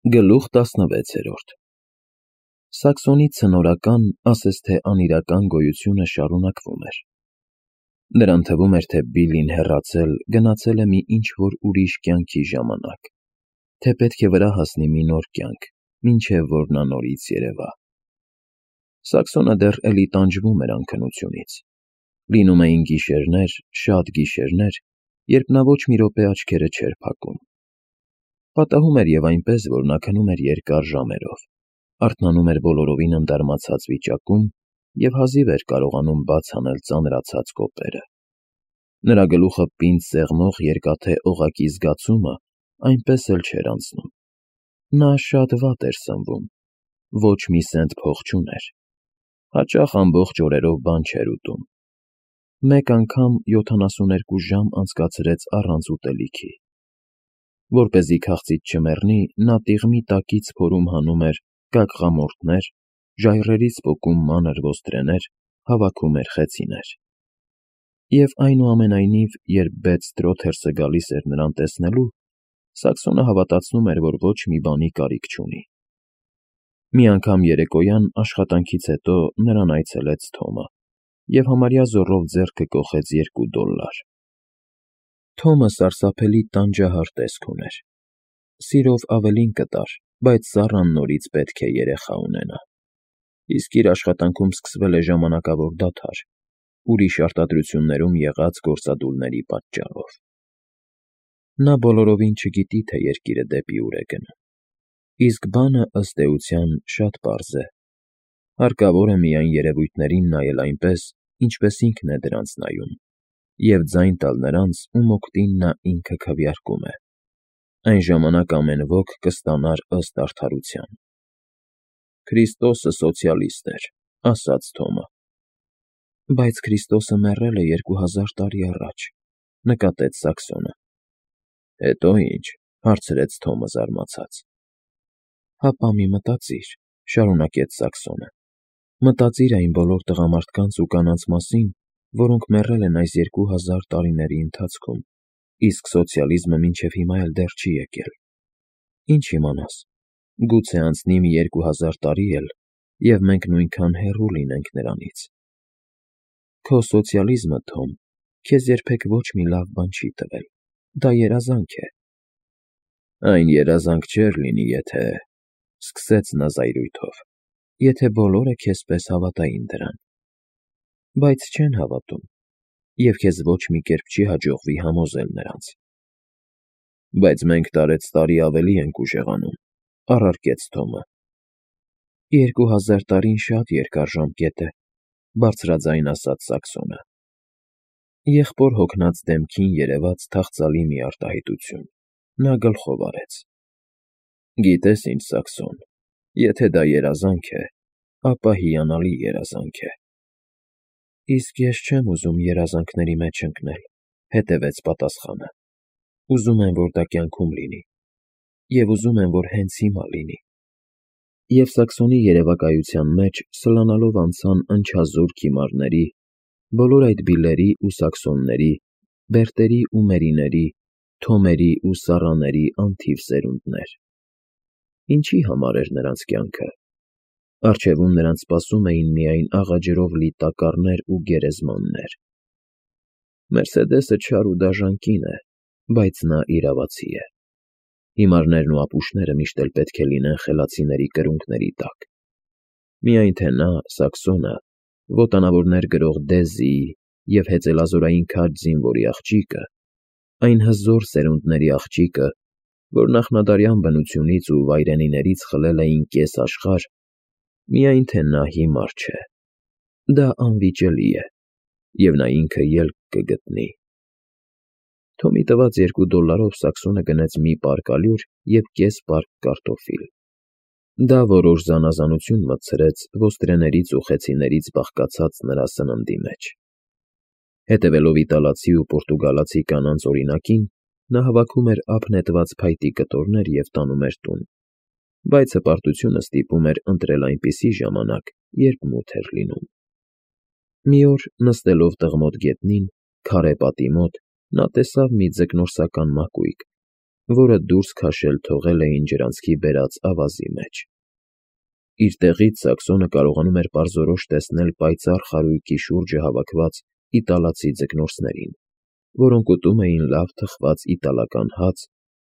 Գլուխ 16 Սաքսոնի ցնորական, ասես թե անիրական գոյությունը շարունակվում էր։ Նրան թվում էր, թե Բիլլին հեռացել, գնացել է մի ինչ-որ ուրիշ կյանքի ժամանակ, թե պետք է վրա հասնի մի նոր կյանք, մինչև որ նա նորից երևա։ Սաքսոնը դեռ էլի տանջվում էր անքնությունից։ Լինում էին գիշերներ, շատ գիշերներ, երբ նա ոչ մի րոպե աչքերը չէր փակում։ Պատահում էր և այնպես, որ նա քնում էր երկար ժամերով, արթնանում էր բոլորովին ընդարմացած վիճակում և հազիվ էր կարողանում բաց անել ծանրացած կոպերը։ Նրա գլուխը պինդ սեղմող երկաթե օղակի զգացումը այնպես էլ չէր անցնում։ Նա շատ վատ էր սնվում, ոչ մի սենտ փող չուներ, հաճախ ամբողջ օրերով բան չէր ուտում։ Մեկ անգամ 72 ժամ անցկացրեց առանց ուտելիքի։ Որպեսզի քաղցից չմեռնի, նա տիղմի տակից փորում հանում էր կակղամորթներ, ժայռերից պոկում մանր ոստրեներ, հավաքում էր խեցիներ։ Եվ այնուամենայնիվ, երբ Բեդ-Սթրոթերսը գալիս էր նրան տեսնելու, Սաքսոնը հավատացնում էր, որ ոչ մի բանի կարիք չունի։ Մի անգամ երեկոյան աշխատանքից հետո նրան այցելեց Թոմը և համարյա զոռով ձեռքը կոխեց $2։ Թոմը սարսափելի տանջահար տեսք ուներ։ Սիրով ավելին կտար, բայց Սառան նորից պետք է երեխա ունենա։ Իսկ իր աշխատանքում սկսվել է ժամանակավոր դադար, ուրիշ արտադրություններում եղած գործադուլների պատճառով։ Նա բոլորովին չգիտի, թե երկիրը դեպի ուր է գնում։ Իսկ բանը, ըստ էության, շատ պարզ է։ Հարկավոր է միայն երևույթներին նայել այնպես, ինչպես ինքն է դրանց նայում, և ձայն տալ նրանց, ում օգտին նա ինքը քվեարկում է։ Այն ժամանակ ամեն ոք կստանար ըստ արդարության։ Քրիստոսը սոցիալիստ էր, ասաց Թոմը։ Բայց Քրիստոսը մեռել է 2000 տարի առաջ, նկատեց Սաքսոնը։ Հետո ի՞նչ, հարցրեց Թոմը զարմացած։ Հապա մի մտածիր, շարունակեց Սաքսոնը։ Մտածիր այն բոլոր տղամարդկանց ու կանանց մասին, որոնք մեռել են այս 2000 տարիների ընթացքում, իսկ սոցիալիզմը մինչև հիմա էլ դեռ չի եկել։ Ինչ իմանաս, գուցե անցնի մի 2000 տարի էլ, և մենք նույնքան հեռու լինենք նրանից։ Քո սոցիալիզմը, Թոմ, քեզ երբեք ոչ մի լավ բան չի տվել, դա երազանք է։ Այն երազանք չէր լինի, եթե… սկսեց նա զայրույթով, եթե բոլորը քեզ պես հավատային դրան։ Բայց չեն հավատում, և քեզ ոչ մի կերպ չի հաջողվի համոզել նրանց։ Բայց մենք տարեցտարի ավելի ենք ուժեղանում, առարկեց Թոմը։ 2000 տարին շատ երկար ժամկետ է, բարձրաձայն ասաց Սաքսոնը։ Եղբոր հոգնած դեմքին երևաց թախծալի մի արտահայտություն։ Նա գլխով արեց։ Գիտես ինչ, Սաքսոն, եթե դա երազանք է, ապա հիանալի երազանք է։ Իսկ ես չեմ ուզում երազանքների մեջ ընկնել, հետևեց պատասխանը։ Ուզում եմ, որ դա կյանքում լինի, և ուզում եմ, որ հենց հիմա լինի։ Եվ Սաքսոնի երևակայության մեջ սլանալով անցան ընչազուրկ հիմարների, բոլոր այդ Բիլլերի ու Սաքսոնների, Բերտերի ու Մերիների, Թոմերի ու Սառաների անթիվ սերունդներ։ Ինչի համար էր նրանց կյանքը։ Առջևում նրանց սպասում էին միայն աղաջրով լի տակառներ ու գերեզմաններ։ Մերսեդեսը չար ու դաժան կին է, բայց նա իրավացի է։ Հիմարներն ու ապուշները միշտ էլ պետք է լինեն խելացիների կրունկների տակ։ Միայն թե նա, Սաքսոնը, ոտանավորներ գրող Դեզիի և հեծելազորային քաջ զինվորի աղջիկը, այն հզոր սերունդների աղջիկը, որ նախնադարյան բնությունից ու վայրենիներից խլել էին կես աշխարհ, միայն թե նա հիմար չէ։ Դա անվիճելի է, և նա ինքը ելք կգտնի։ Թոմի տված $2 Սաքսոնը գնեց մի պարկ ալյուր և կես պարկ կարտոֆիլ։ Դա որոշ զանազանություն մտցրեց ոստրեներից ու խեցիներից բաղկացած նրա սննդի մեջ։ Հետևելով իտալացի ու պորտուգալացի կանանց օրինակին, նա հավաքում էր ափ նետված փայտի կտորներ և տանում էր տուն, բայց հպարտությունը ստիպում էր ընտրել այնպիսի ժամանակ, երբ մութ էր լինում։ Մի օր, նստելով տղմոտ գետնին, քարե պատի մոտ, նա տեսավ մի ձկնորսական մակույկ, որը դուրս քաշել թողել էին ջրանցքի բերած ավազի մեջ։ Իր տեղից Սաքսոնը կարողանում էր պարզորոշ տեսնել պայծառ խարույկի շուրջը հավաքված իտալացի ձկնորսներին, որոնք ուտում էին լավ թխված իտալական հաց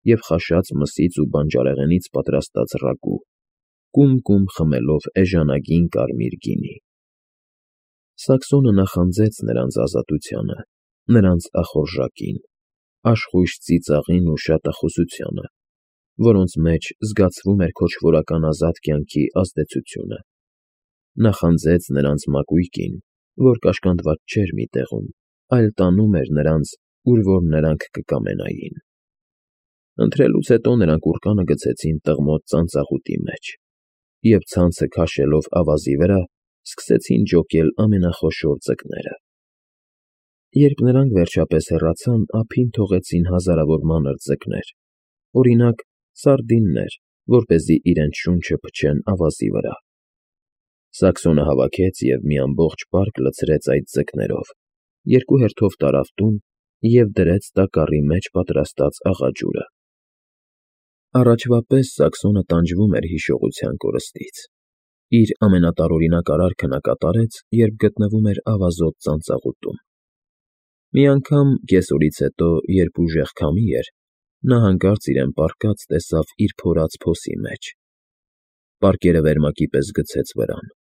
և խաշած մսից ու բանջարեղենից պատրաստած ռագու, կում-կում խմելով էժանագին կարմիր գինի։ Սաքսոնը նախանձեց նրանց ազատությանը, նրանց ախորժակին, աշխույժ ծիծաղին ու շատախոսությանը, որոնց մեջ զգացվում էր քոչվորական ազատ կյանքի ազդեցությունը։ Նախանձեց նրանց մակույկին, որ կաշկանդված չէր մի տեղում, այլ տանում էր նրանց, ուր որ նրանք կկամենային։ Ընթրելուց հետո նրանք ուռկանը գցեցին տղմոտ ծանծաղուտի մեջ և ցանցը քաշելով ավազի վրա, սկսեցին ջոկել ամենախոշոր ձկները։ Երբ նրանք վերջապես հեռացան, ափին թողեցին հազարավոր մանր ձկներ, օրինակ, սարդիններ, որպեսզի իրենց շունչը փչեն ավազի վրա։ Սաքսոնը հավաքեց և մի ամբողջ պարկ լցրեց այդ ձկներով, երկու հերթով տարավ տուն և դրեց տակառի մեջ պատրաստած աղաջուրը։ Առաջվա պես Սաքսոնը տանջվում էր հիշողության կորստից։ Իր ամենատարօրինակ արարքը նա կատարեց, երբ գտնվում էր ավազոտ ծանծաղուտում։ Մի անգամ, կեսօրից հետո, երբ ուժեղ քամի էր, նա հանկարծ իրեն պառկած տեսավ իր փորած փոսի մեջ։ Պարկերը վերմակի պես գցեց վրան,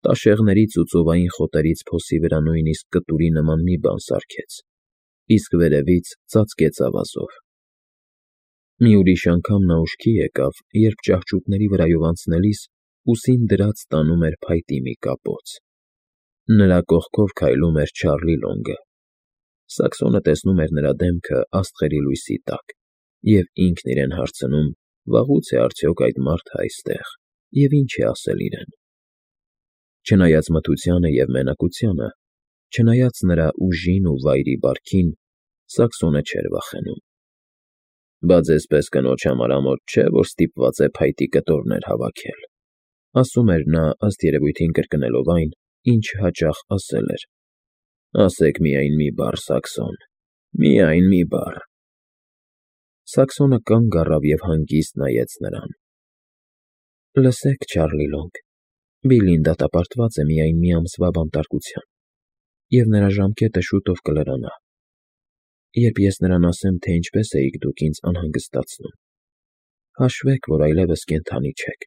տաշեղներից ու ծովային խոտերից փոսի վրա նույնիսկ կտուրի նման մի բան սարքեց, իսկ վերևից ծածկեց ավազով։ Մի ուրիշ անգամ նա ուշքի եկավ, երբ ճահճուտների վրայով անցնելիս ուսին դրած տանում էր փայտի մի կապոց։ Նրա կողքով քայլում էր Չարլի Լոնգը։ Սաքսոնը տեսնում էր նրա դեմքը աստղերի լույսի տակ և ինքն իրեն հարցնում. վաղուց է արդյոք այդ մարդը այստեղ և ինչ է ասել իրեն։ Չնայած մթությանը և մենակությանը, չնայած նրա ուժին ու վայրի բարքին, Սաքսոնը չէր վախենում։ Բայց էսպես կնոջ համար ամոթ չէ, որ ստիպված է փայտի կտորներ հավաքել, ասում էր նա, ըստ երևույթին կրկնելով այն, ինչ հաճախ ասել էր. ասեք միայն մի բառ, Սաքսոն, միայն մի բառ։ Սաքսոնը կանգ առավ և հանգիստ նայեց նրան։ Լսեք, Չարլի Լոնգ, Բիլլին դատապարտված է միայն մի ամսվա բանտարկության, և նրա ժամկետը շուտով կլրանա։ Երբ ես նրան ասեմ, թե ինչպես էիք դուք ինձ անհանգստացնում, հաշվեք, որ այլևս կենդանի չեք։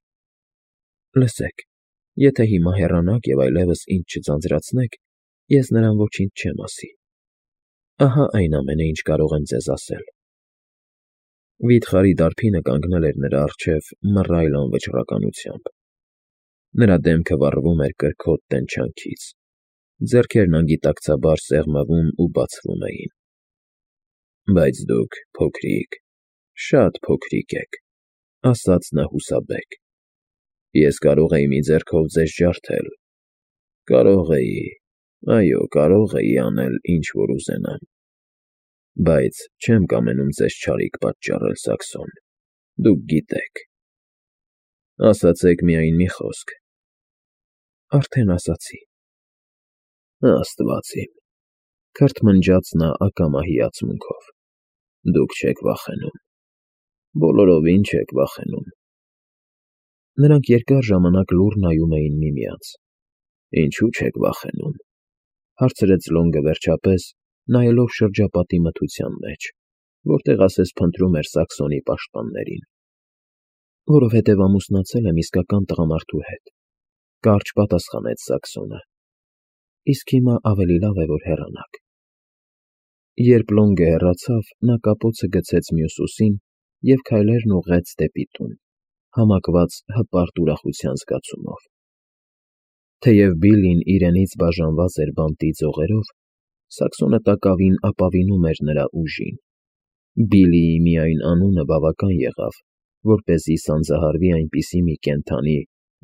Լսեք, եթե հիմա հեռանաք և այլևս ինձ չձանձրացնեք, ես նրան ոչինչ չեմ ասի։ Ահա այն ամենը, ինչ կարող եմ ձեզ ասել։ Վիթխարի դարբինը կանգնել էր նրա առջև մռայլ անվճռականությամբ։ Նրա դեմքը վառվում էր կրքոտ տենչանքից, ձեռքերն անգիտակցաբար սեղմվում ու բացվում էին։ Բայց դուք փոքրիկ, շատ փոքրիկ եք, ասաց նա հուսաբեկ։ Ես կարող էի մի ձեռքով ձեզ ջարդել, կարող էի, այո, կարող էի անել, ինչ որ ուզենամ, բայց չեմ կամենում ձեզ չարիք պատճառել, Սաքսոն, դուք գիտեք։ Ասացեք միայն մի խոսք։ Արդեն ասացի։ Աստված իմ, քրթմնջաց նա ակամա հիացմունքով։ Դուք չեք վախենում, բոլորովին չեք վախենում։ Նրանք երկար ժամանակ լուռ նայում էին միմյանց։ Ինչու՞ չեք վախենում, հարցրեց Լոնգը վերջապես, նայելով շրջապատի մթության մեջ, որտեղ ասես փնտրում էր Սաքսոնի պաշտպաններին։ Որովհետև ամուսնացել եմ իսկական տղամարդու հետ, կարճ պատասխանեց Սաքսոնը։ Իսկ հիմա ավելի լավ է, որ հեռանաք։ Երբ Լոնգը հեռացավ, նա կապոցը գցեց մյուս ուսին և քայլերն ուղղեց դեպի տուն, համակված հպարտ ուրախության զգացումով։ Թեև Բիլլին իրենից բաժանված էր բանտի ձողերով, Սաքսոնը տակավին ապավինում էր նրա ուժին։ Բիլլիի միայն անունը բավական եղավ, որպեսզի սանձահարվի այնպիսի մի կենդանի,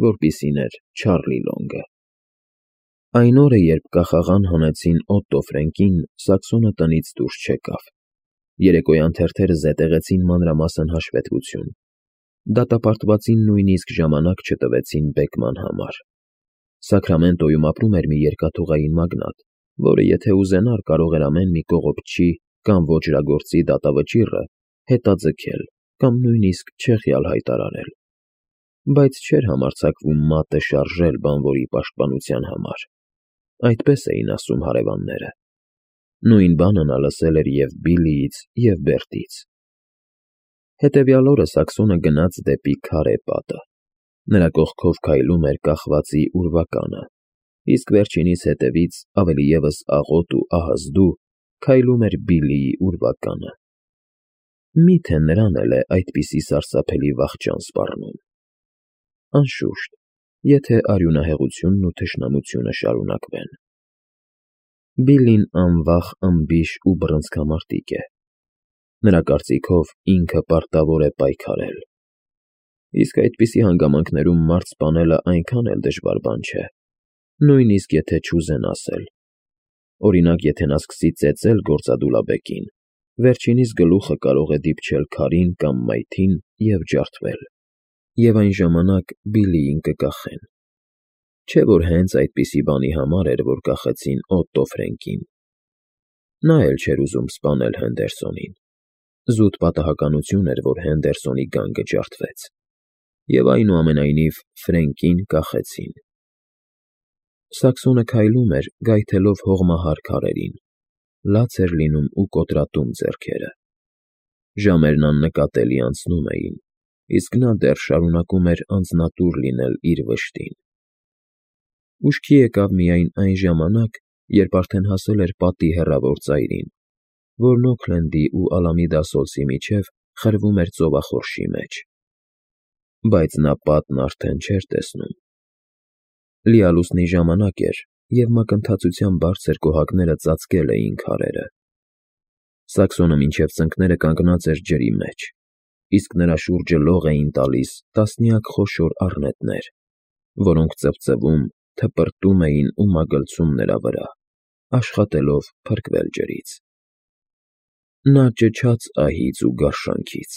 որպիսին էր Չարլի Լոնգը։ Այն օրը, երբ կախաղան հանեցին Օտտո Ֆրենկին, Սաքսոնը տնից դուրս չեկավ։ Երեկոյան թերթերը զետեղեցին մանրամասն հաշվետվություն։ Դատապարտվածին նույնիսկ ժամանակ չտվեցին բեկման համար։ Սակրամենտոյում ապրում էր մի երկաթուղային մագնատ, որը եթե ուզենար, կարող էր ամեն մի կողոպտչի կամ ոճրագործի դատավճիռը հետաձգել կամ նույնիսկ չեղյալ հայտարարել, բայց չէր համարձակվում մատը շարժել բանվորի պաշտպանության համար, այդպես էին ասում հարևանները։ Նույն բանը նա լսել էր և Բիլլիից, և Բերտից։ Հետևյալ օրը Սաքսոնը գնաց դեպի քարե պատը։ Նրա կողքով քայլում էր կախվածի ուրվականը, իսկ վերջինիս հետևից, ավելի ևս աղոտ ու ահազդու, քայլում էր Բիլլիի ուրվականը։ Մի՞թե նրան էլ է այդպիսի սարսափելի վախճան սպառնում։ Անշուշտ, եթե արյունահեղությունն ու թշնամությունը շարունակվեն։ Բիլլին անվախ, անբիշ ու բռնցքամարտիկ է։ Նրա կարծիքով ինքը պարտավոր է պայքարել։ Իսկ այդպիսի հանգամանքներում մարդ սպանելը այնքան էլ դժվար բան չէ, նույնիսկ եթե չուզեն ասել։ Օրինակ, եթե նա սկսի ծեծել գործադուլաբեկին, վերջինիս գլուխը կարող է դիպչել քարին կամ մայթին և ջարդվել, և այն ժամանակ Բիլլիին կկախեն։ Չէ՞ որ հենց այդպիսի բանի համար էր, որ կախեցին Օտտո Ֆրենկին։ Նա էլ չէր ուզում սպանել Հենդերսոնին։ Զուտ պատահականություն էր, որ Հենդերսոնի գանգը ջարդվեց, և այնուամենայնիվ Ֆրենկին կախեցին։ Սաքսոնը քայլում էր, գայթելով հողմահար քարերին, լաց էր լինում ու կոտրատում ձեռքերը։ Ժամերն աննկատելի անցնում էին, իսկ նա դեռ շարունակում էր անձնատուր լինել իր վշտին։ Ուշքի եկավ միայն այն ժամանակ, երբ արդեն հասել էր պատի հեռավոր ծայրին, որն Օքլենդի ու Ալամիդա Սոլսի միջև խրվում էր ծովախորշի մեջ։ Բայց նա պատն արդեն չէր տեսնում։ Լիալուսնի ժամանակ էր, և մակընթացության բարձր կոհակները ծածկել էին քարերը։ Սաքսոնը մինչև ծնկները կանգնած էր ջրի մեջ, իսկ նրա շուրջը լող էին տալիս տասնյակ խոշոր առնետներ, որոնք ծվծվում, թպրտում էին ու մագլցում նրա վրա, աշխատելով փրկվել ջրից։ Նա ճչաց ահից ու գարշանքից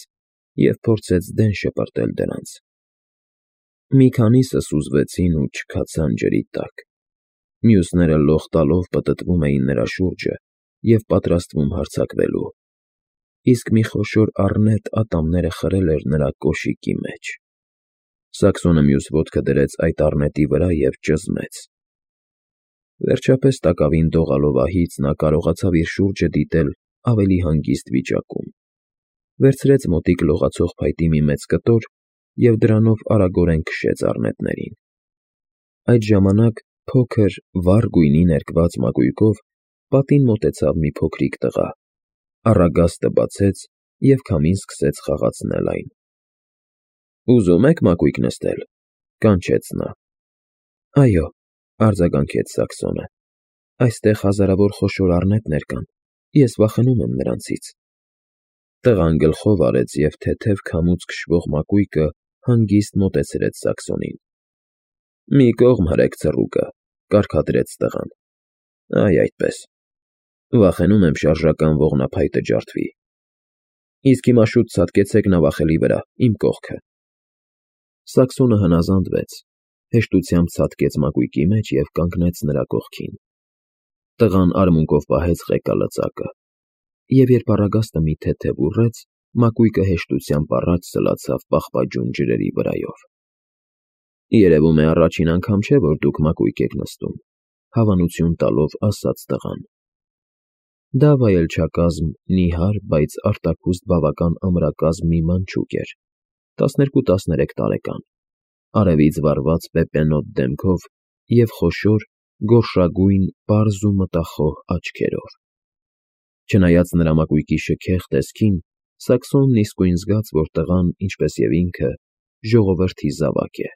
և փորձեց դեն շպրտել դրանց։ Մի քանիսը սուզվեցին ու չքացան ջրի տակ, մյուսները լող տալով պտտվում էին նրա շուրջը և պատրաստվում հարձակվելու, իսկ մի խոշոր առնետ ատամները խրել էր նրա կոշիկի մեջ։ Սաքսոնը մյուս ոտքը դրեց այդ առնետի վրա և ճզմեց։ Վերջապես տակավին դողալով ահից նա կարողացավ իր շուրջը դիտել ավելի հանգիստ վիճակում։ Վերցրեց մոտիկ լողացող փայտի մի մեծ կտոր և դրանով արագորեն քշեց առնետներին։ Այդ ժամանակ փոքր, վառ գույնի ներկված մակույկով պատին մոտեցավ մի փոքրիկ տղա, առագաստը բացեց և քամին սկսեց խաղացնել այն։ «Ուզում ե՞ք մակույկ նստել,֊ կանչեց նա։ «Այո,֊ արձագանքեց Սաքսոնը,֊ այստեղ հազարավոր խոշոր առնետներ կան, ես վախենում եմ նրանցից»։ Տղան գլխով արեց և թեթև քամուց քշվող մակույկը հանգիստ մոտեցրեց Սաքսոնին։ «Մի կողմ հրեք ցռուկը,֊ կարգադրեց տղան։ Այ այդպես։ Վախենում եմ շարժական ողնափայտը ջարդվի։ Իսկ հիմա շուտ ցատկեցեք նավախելի վրա, իմ կողքը»։ Սաքսոնը հնազանդվեց, հեշտությամբ ցատկեց մակույկի մեջ և կանգնեց նրա կողքին։ Տղան արմունկով պահեց ղեկալծակը, և երբ առագաստը մի թեթև ուռեց, մակույկը հեշտությամբ առաջ սլացավ պաղպաջուն ջրերի վրայով։ «Երևում է առաջին անգամ չէ, որ դուք մակույկ եք նստում,֊ հավանություն տալով ասաց տղան։ Դա վայելչակազմ, նիհար, բայց արտաքուստ բավական ամրակազմ մի մանչուկ էր, 12-13 տարեկան, արևից վառված պեպենոտ դեմքով և խոշոր, գորշագույն, պարզ ու մտախոհ աչքերով։ Չնայած նրա մակույկի շքեղ տեսքին, Սաքսոնն իսկույն զգաց, որ տղան, ինչպես և ինքը, ժողովրդի զավակ է։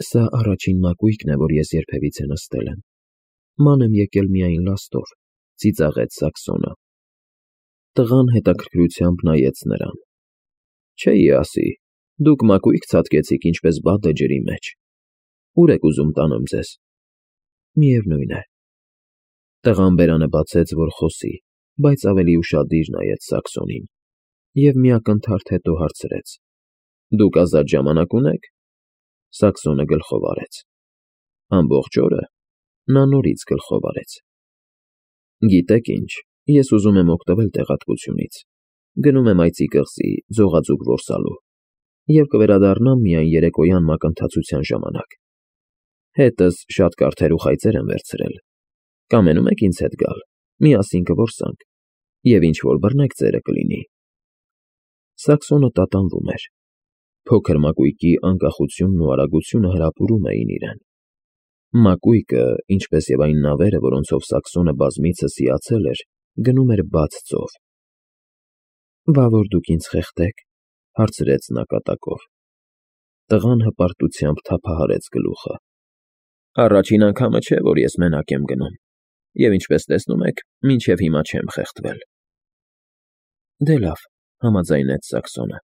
«Սա առաջին մակույկն է, որ ես երբևիցե նստել եմ, ման եմ եկել միայն լաստով,֊ ծիծաղեց Սաքսոնը։ Տղան հետաքրքրությամբ նայեց նրան։ «Չէի ասի, դուք մակույկ ցատկեցիք ինչպես բադը ջրի մեջ։ Ո՞ւր եք ուզում տանեմ ձեզ»։ «Միևնույն է»։ Տղան բերանը բացեց, որ խոսի, բայց ավելի ուշադիր նայեց Սաքսոնին և մի ակնթարթ հետո հարցրեց. «Դուք ազատ ժամանակ ունե՞ք»։ Սաքսոնը գլխով արեց։ «Ամբողջ օրը»։ Նա նորից գլխով արեց։ «Գիտեք ինչ, ես ուզում եմ օգտվել տեղատվությունից։ Գնում եմ այծի կղզի ձողաձուկ որսալու և կվերադառնամ միայն երեկոյան մակընթացության ժամանակ։ Հետս շատ կարթեր ու խայծեր եմ վերցրել։ Կամենում եք ինձ հետ գալ, միասին կորսանք, և ինչ-որ բռնեք ձերը կլինի։ Սաքսոնը տատանվում էր։ Փոքր մակույկի անկախությունն ու արագությունը հրապուրում էին իրեն։ Մակույկը, ինչպես և այն նավերը, որոնցով Սաքսոնը բազմիցս հիացել էր, գնում էր բաց ծով։ «Բա որ դուք ինձ խեղդեք,֊ հարցրեց նա կատակով։ Տղան հպարտությամբ թափահարեց գլուխը։ «Առաջին անգամը չէ, որ ես մենակ եմ գնում, և ինչպես տեսնում եք, մինչև հիմա չեմ խեղդվել»։ «Դե լավ,֊ համաձայնեց Սաքսոնը։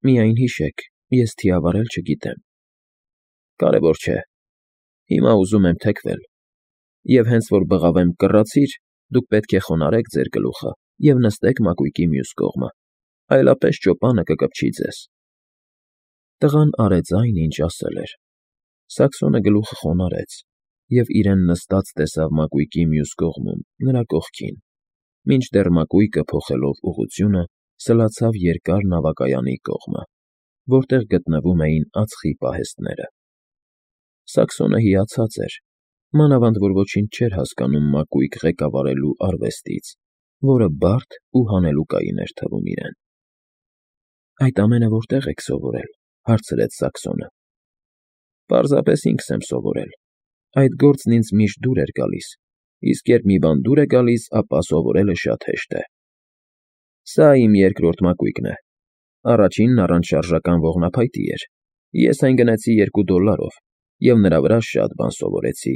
Միայն հիշեք, ես թիավարել չգիտեմ»։ «Կարևոր չէ։ Հիմա ուզում եմ թեքվել, և հենց որ բղավեմ «կռացիր», դուք պետք է խոնարհեք ձեր գլուխը և նստեք մակույկի մյուս կողմը, այլապես ճոպանը կկպչի ձեզ»։ Տղան արեց այն, ինչ ասել էր։ Սաքսոնը գլուխը խոնարհեց և իրեն նստած տեսավ մակույկի մյուս կողմում, նրա կողքին, մինչդեռ մակույկը, փոխելով ուղղությունը, սլացավ երկար նավակայանի կողմը, որտեղ գտնվում էին ածխի պահեստները։ Սաքսոնը հիացած էր, մանավանդ որ ոչինչ չէր հասկանում մակույկ ղեկավարելու արվեստից, որը բարդ ու հանելուկային էր թվում իրեն։ «Այդ ամենը որտե՞ղ եք սովորել,֊ հարցրեց Սաքսոնը։ «Պարզապես ինքս եմ սովորել։ Այդ գործն ինձ միշտ դուր էր գալիս, իսկ երբ մի բան դուր է գալիս, ապա սովորելը շատ հեշտ է։ Սա իմ երկրորդ մակույկն է։ Առաջինն առանց շարժական ողնափայտի էր։ Ես այն գնեցի $2 և նրա վրա շատ բան սովորեցի,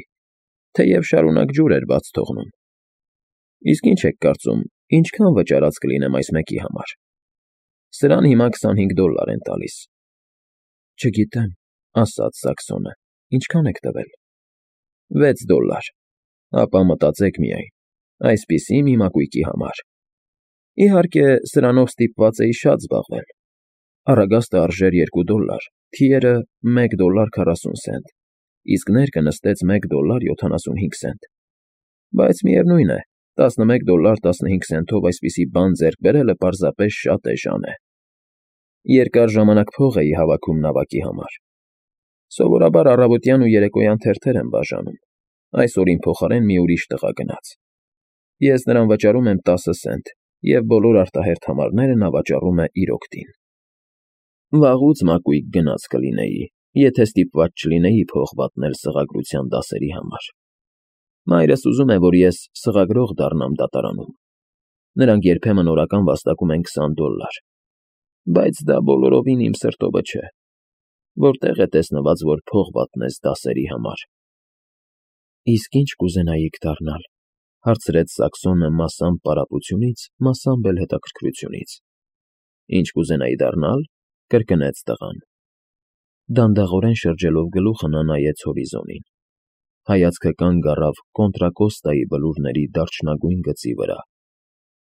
թեև շարունակ ջուր էր բաց թողնում։ Իսկ ինչ եք կարծում, ինչքան վճարած կլինեմ այս մեկի համար։ Սրան հիմա $25 են տալիս»։ «Չգիտեմ,֊ ասաց Սաքսոնը,֊ ինչքան եք տվել»։ $6։ Ապա մտածեք միայն, այսպիսի մի մակույկի համար։ Իհարկե, սրանով ստիպված էի շատ զբաղվել։ Առագաստը արժեր $2, թիերը $1.40, իսկ ներկը նստեց $1.75։ Բայց միևնույն է, $11.15-ով այսպիսի բան ձեռք բերելը պարզապես շատ էժան է։ Երկար ժամանակ փող էի հավաքում նավակի համար։ Սովորաբար առավոտյան ու երեկոյան թերթեր եմ բաժանում, այսօր իմ փոխարեն մի ուրիշ տղա գնաց։ Ես նրան վճարում եմ 10 սենտ, և բոլոր արտահերթ համարները նա վճարում է իր օգտին։ Վաղուց մակույկ գնած կլինեի, եթե ստիպված չլինեի փող վատնել սղագրության դասերի համար։ Մայրս ուզում է, որ ես սղագրող դառնամ դատարանում։ Նրանք երբեմն օրական վաստակում են $20, բայց դա բոլորովին իմ սրտովը չէ։ Որտեղ է տեսնված, որ փող վատնես դասերի համար։ «Իսկ ինչ կուզենայիք դառնալ,֊ հարցրեց Սաքսոնը մասամբ պարապությունից, մասամբ էլ հետաքրքրությունից։ «Ինչ կուզենայի դառնալ,֊ կրկնեց տղան։ Դանդաղորեն շրջելով գլուխը նա նայեց հորիզոնին։ Հայացքը կանգ առավ Կոնտրակոստայի բլուրների դարչնագույն գծի վրա,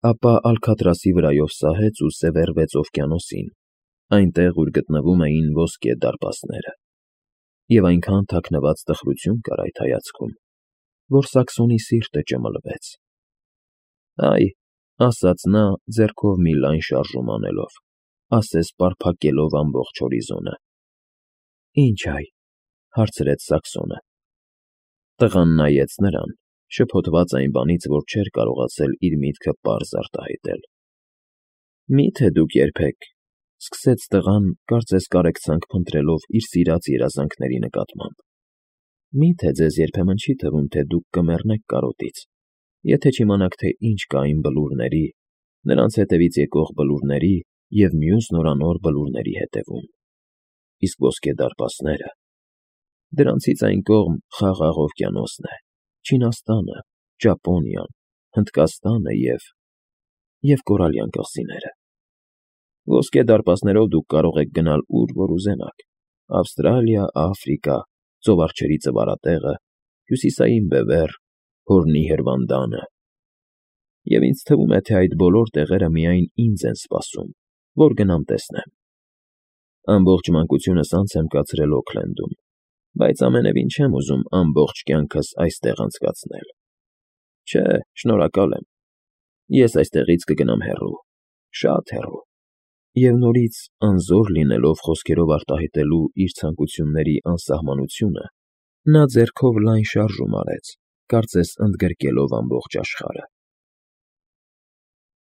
ապա Ալքաթրասի վրայով սահեց ու սևեռվեց օվկիանոսին, այնտեղ, ուր գտնվում էին ոսկե դարպասները։ Եվ այնքան թաքնված տխրություն կար այդ հայացքում, որ Սաքսոնի սիրտը ճմլվեց։ «Այ,֊ ասաց նա, ձեռքով մի լայն շարժում անելով, ասես պարփակելով ամբողջ հորիզոնը։ «Ինչ այ,֊ հարցրեց Սաքսոնը։ Տղան նայեց նրան, շփոթված այն բանից, որ չէր կարողացել իր միտքը պարզ արտահայտել։ «Մի՞թե դուք երբեք,֊ սկսեց տղան, կարծես կարեկցանք փնտրելով իր սիրած երազանքների նկատմամբ,֊ մի՞թե ձեզ երբեմն չի թվում, թե դուք կմեռնեք կարոտից, եթե չիմանաք, թե ինչ կա այն բլուրների, նրանց հետևից եկող բլուրների և մյուս նորանոր բլուրների հետևում։ Իսկ ոսկե դարպասները… Դրանցից այն կողմ Խաղաղ օվկիանոսն է, Չինաստանը, Ճապոնիան, Հնդկաստանը և Կորալյան կղզիները։ Ոսկե դարպասներով դուք կարող եք գնալ ուր որ ուզենաք՝ Ավստրալիա, Աֆրիկա, ծովարջերի Ծվարատեղը, Հյուսիսային Բևեռ, Հորնի Հրվանդանը։ Եվ ինձ թվում է, թե այդ բոլոր տեղերը միայն ինձ են սպասում, որ գնամ տեսնեմ։ Ամբողջ մանկությունս անց եմ կացրել Օքլենդում, բայց ամենևին չեմ ուզում ամբողջ կյանքս այստեղ անցկացնել։ Չէ, շնորհակալ եմ։ Ես այստեղից կգնամ հեռու, շատ հեռու, և նորից, անզոր լինելով խոսքերով արտահայտելու իր ցանկությունների անսահմանությունը, նա ձեռքով լայն շարժում արեց, կարծես ընդգրկելով ամբողջ աշխարհը։